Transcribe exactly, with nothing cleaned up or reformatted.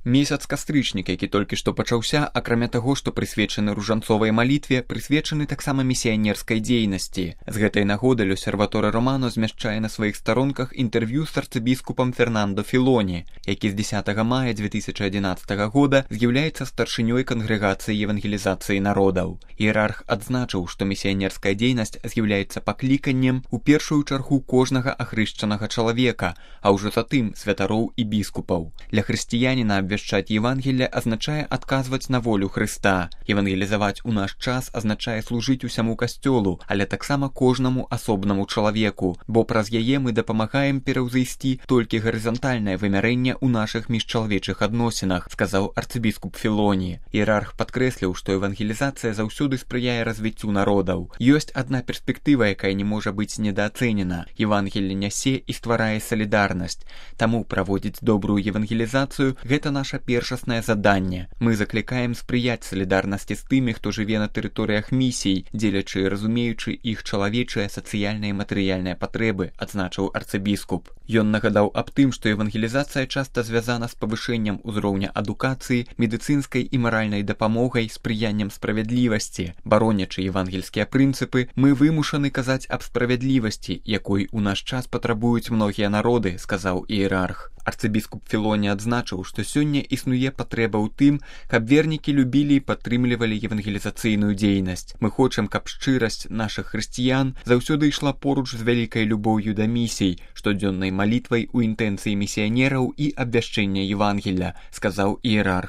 Месяц кастрычнік, які толькі што пачаўся, акрамя таго, што прысвечаны ружанцовай малітве, прысвечаны таксама місіянерскай дзейнасці. З гэтай нагоды L'Osservatore Romano змяшчае на сваіх старонках інтэрв'ю з арцыбіскупам Фернандо Філоні, які з дзесятага мая дзве тысячы адзінаццатага года з'яўляецца старшынёй кангрэгацыі евангелізацыі народаў. Іерарх адзначыў, што місіянерская дзейнасць з'яўляецца пакліканнем у першую чаргу кожнага ахрышчанага чалавека, а ўжо затым святароў і біскупаў. Для хрысціяніна абвяшчаць Евангелле азначае адказваць на волю Хрыста. Евангелізаваць у наш час азначае служыць усяму касцёлу, але таксама кожнаму асобнаму чалавеку, бо праз яе мы дапамагаем пераўзайсці толькі гарызантальнае вымярэнне ў нашых міжчалавечых адносінах, сказаў арцыбіскуп Філоні. Іерарх падкрэсліў, што евангелізацыя заўсёды спрыяе развіццю народаў. Ёсць адна перспектыва, якая не можа быць недаацэнена. Евангелле нясе і стварае салідарнасць. Таму праводзіць добрую евангелізацыю – гэта наша першаснае заданне. Мы заклікаем спрыяць салідарнасці з тымі, хто жыве на тэрыторыях місій, дзелячы і разумеючы іх чалавечыя, сацыяльныя і матэрыяльныя патрэбы, адзначыў арцыбіскуп. Ён нагадаў аб тым, што евангелізацыя часта звязана з павышэннем узроўня адукацыі, медыцынскай і маральнай дапамогай, спрыяннем справядлівасці. Баронячы евангельскія прынцыпы, мы вымушаны казаць аб справядлівасці, якой у наш час патрабуюць многія народы, сказаў іерарх. Арцыбіскуп Філоні адзначыў, што сёння існуе патрэба ў тым, каб вернікі любілі і падтрымлівалі евангелізацыйную дзейнасць. Мы хочам, каб шчырасць нашых хрысціян заўсёды ішла поруч з вялікай любоўю да місій, штодзённай малітвай у інтэнцыі місіянераў і абвяшчэння Евангелля, сказаў іерарх.